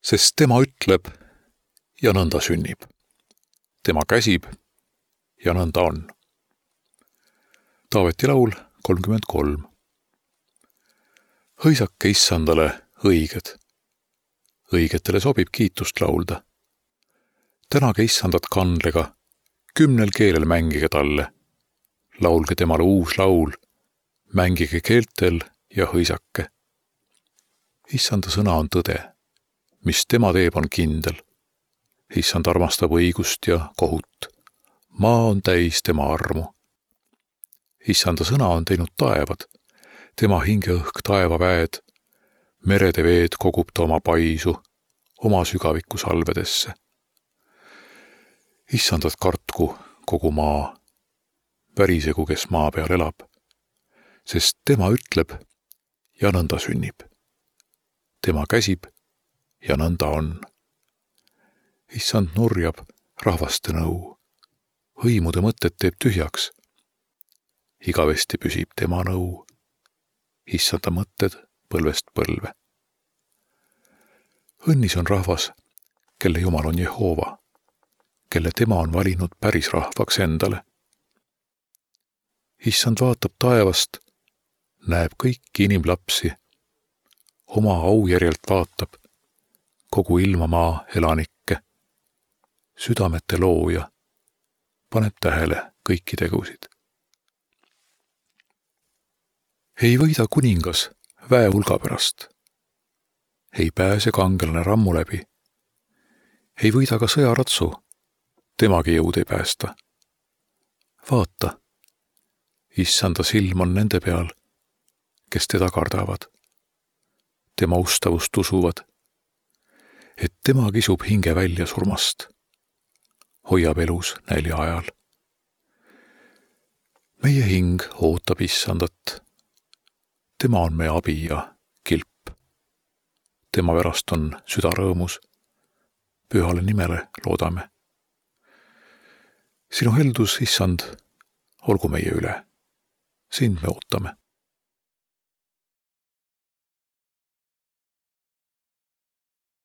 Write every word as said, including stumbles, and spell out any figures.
sest tema ütleb ja nõnda sünnib. Tema käsib ja nõnda on. Taaveti laul kolmkümmend kolm. Hõisake issandale õiged. Õigetele sobib kiitust laulda. Tänage issandat kandlega, kümnel keelel mängige talle. Laulge temale uus laul, mängige keeltel ja hõisake. Issanda sõna on tõde, mis tema teeb on kindel. Issand armastab õigust ja kohut. Maa on täis tema armu. Issanda sõna on teinud taevad, tema hingeõhk taevaväed, merede veed kogub ta oma paisu, oma sügaviku salvedesse. Issandat kartku kogu maa, värisegu, kes maa peal elab, sest tema ütleb ja nõnda sünnib. Tema käsib ja nõnda on. Issand nurjab rahvaste nõu, hõimude mõtted teeb tühjaks. Igavesti püsib tema nõu, issanda mõtted põlvest põlve. Õnnis on rahvas, kelle Jumal on Jehova, kelle tema on valinud päris rahvaks endale. Issand vaatab taevast, näeb kõiki inimlapsi, oma aujärjelt vaatab kogu ilmamaa elanikke, südamete looja, paneb tähele kõiki tegusid. Ei võida kuningas väe hulga pärast. Ei pääse kangelane rammu läbi. Ei võida ka sõjaratsu, temagi jõud ei päästa. Vaata, issanda silm on nende peal, kes teda kardavad. Tema ustavust usuvad, et tema kisub hinge välja surmast, hoiab elus nälja ajal. Meie hing ootab issandat. Tema on meie abi ja kilp. Tema pärast on süda rõõmus. Pühale nimele loodame. Sinu heldus, issand, olgu meie üle. Sind me ootame.